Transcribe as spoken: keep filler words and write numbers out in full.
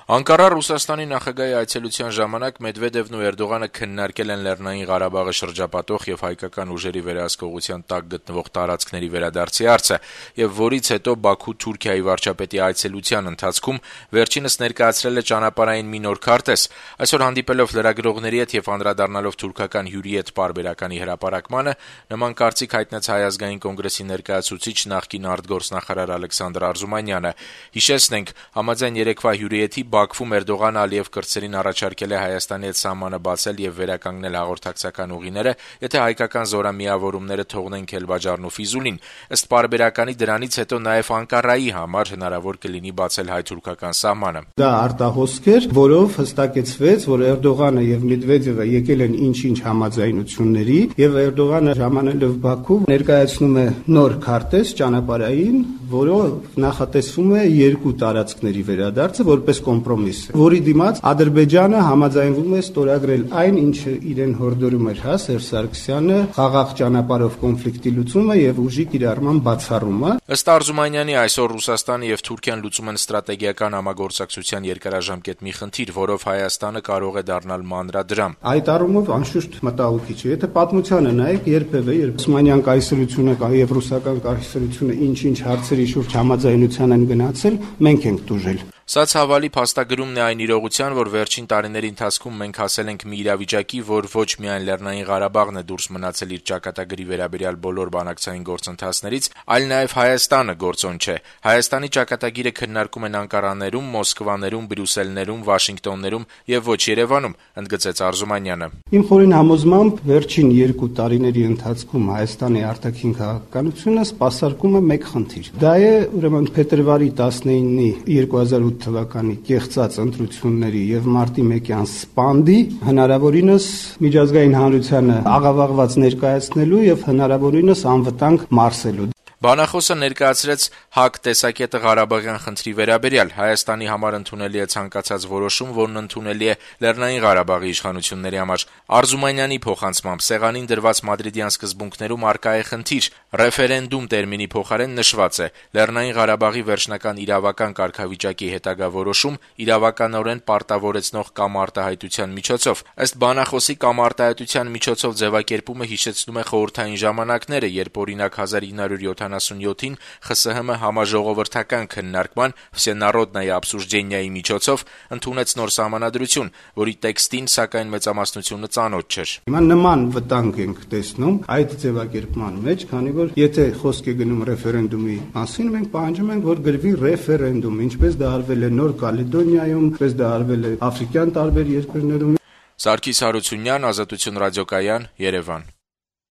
Անկարա Ռուսաստանի նախագահի այցելության ժամանակ Մեդվեդևն ու Էրդողանը քննարկել են Լեռնային Ղարաբաղը շրջապատող եւ հայկական ուժերի վերահսկողության տակ գտնվող տարածքների վերադարձի հարցը, եւ որից հետո Բաքու Թուրքիայի վարչապետի այցելության ընթացքում վերջինս ներկայացրել է ճանապարհային մի նոր քարտեզ։ Այսօր հանդիպելով լրագրողների հետ եւ անդրադառնալով թուրքական հյուրի հետ պարբերականի հրապարակմանը, նման կարծիք հայտնեց Հայ ազգային կոնգրեսի ներկայացուցիչ նախկին արտգործնախարար Ալեքսանդր Արզումանյանը։ Հիշեցնենք, համաձայն երեկվա հյուրի Բաքվում Էրդողանը Ալիև կրտսերին առաջարկել է Հայաստանի հետ սահմանը բացել եւ վերականգնել հաղորդակցական ուղիները, եթե հայկական զորամիավորումները թողնեն Քելբաջարն ու Ֆիզուլին։ Ըստ պարբերականի դրանից հետո նաեւ Անկարայի համար հնարավոր կլինի բացել հայ-թուրքական սահմանը։ Դա արտահոսք էր, որով հստակեցվեց, որ Էրդողանը եւ Մեդվեդևը եկել են ինչ-ինչ համաձայնությունների, եւ Էրդողանը ժամանելով Բաքու ներկայացնում է նոր քարտեզ ճանապարհային, որով նախատեսվում է երկու տարածքների վերադարձը որպես կոմպրոմիս, որի դիմաց Ադրբեջանը համաձայնվում է ստորագրել այն, ինչը իրեն հորդորում էր հա Սերժ Սարգսյանը, խաղաղ ճանապարհով կոնֆլիկտի լուծումը եւ ուժի կիրառման բացառումը։ Ըստ Արզումանյանի, այսօր Ռուսաստանը եւ Թուրքիան լուծում են ստրատեգիական համագործակցության երկարաժամկետ մի խնդիր, որով Հայաստանը կարող է դառնալ մանրադրամ։ Այդ առումով անշուշտ մտահոգիչ է։ Եթե պատմությանը նայեք, երբևէ երբ Օսմանյան կայսրությունը եւ ռուսական կայսրությունը ինչ-ինչ հարցերի շուրջ համաձայնության են գնացել, մենք ենք տուժել։ Սա ցավալի փաստագրումն է այն իրողության, որ վերջին տարիների ընթացքում մենք հասել ենք մի իրավիճակի, որ ոչ միայն Լեռնային Ղարաբաղն է դուրս մնացել իր ճակատագրի վերաբերյալ բոլոր բանակցային գործընթացներից, այլ նաև Հայաստանը գործոն չէ։ Հայաստանի ճակատագիրը քննարկում են Անկարաներում, Մոսկվաներում, Բրյուսելներում, Վաշինգտոններում եւ ոչ Երևանում, ընդգծեց Արզումանյանը։ Իմ խորին համոզմամբ վերջին երկու տարիների ընթացքում Հայաստանի արտաքին քաղաքականությունը սպասարկում է մեկ խնդիր։ Դա է ուրեմն փետրվարի տասնինի երկու հազար ութ թվականի կեղծած ընտրությունների եւ մարտի մեկյան սպանդի հնարավորինս միջազգային հանրությանը աղավաղված ներկայացնելու եւ հնարավորինս անվտանգ մարսելու։ Բանախոսը ներկայացրեց ՀԱԿ տեսակետը Ղարաբաղյան խնդրի վերաբերյալ։ Հայաստանի համար ընդունելի է ցանկացած որոշում, որն ընդունելի է Լեռնային Ղարաբաղի իշխանությունների համար։ Արզումանյանի փոխանցմամբ սեղանին դրված մադրիդյան սկզբունքներում առկա է խնդիր։ Ռեֆերենդում տերմինի փոխարեն նշված է Լեռնային Ղարաբաղի վերջնական իրավական կարգավիճակի հետագա որոշում իրավականորեն պարտավորեցնող կամ արտահայտության միջոցով։ Ըստ բանախոսի կամ արտահայտության միջոցով ձևակերպումը հիշեցնում է խորհրդային ժամանակները, երբ օրինակ հազար ինը հարյուր յոթանասունյոթին ԽՍՀՄ համաժողովրդական քննարկման Всенародное обсуждение-ի միջոցով ընդունեց նոր սահմանադրություն, որի տեքստին սակայն մեծամասնությունը ծանոթ չէր։ Հիմա նման վտանգ ենք տեսնում այդ ձևակերպման մեջ, քանի որ եթե խոսք է գնում ռեֆերենդումի մասին, մենք պահանջում ենք, որ գրվի ռեֆերենդում, ինչպես դա արվել է Նոր Կալեդոնիայում, ինչպես դա արվել է աֆրիկյան տարբեր երկրներում։ Սարգիս Հարությունյան, Ազատություն ռադիոկայան, Երևան։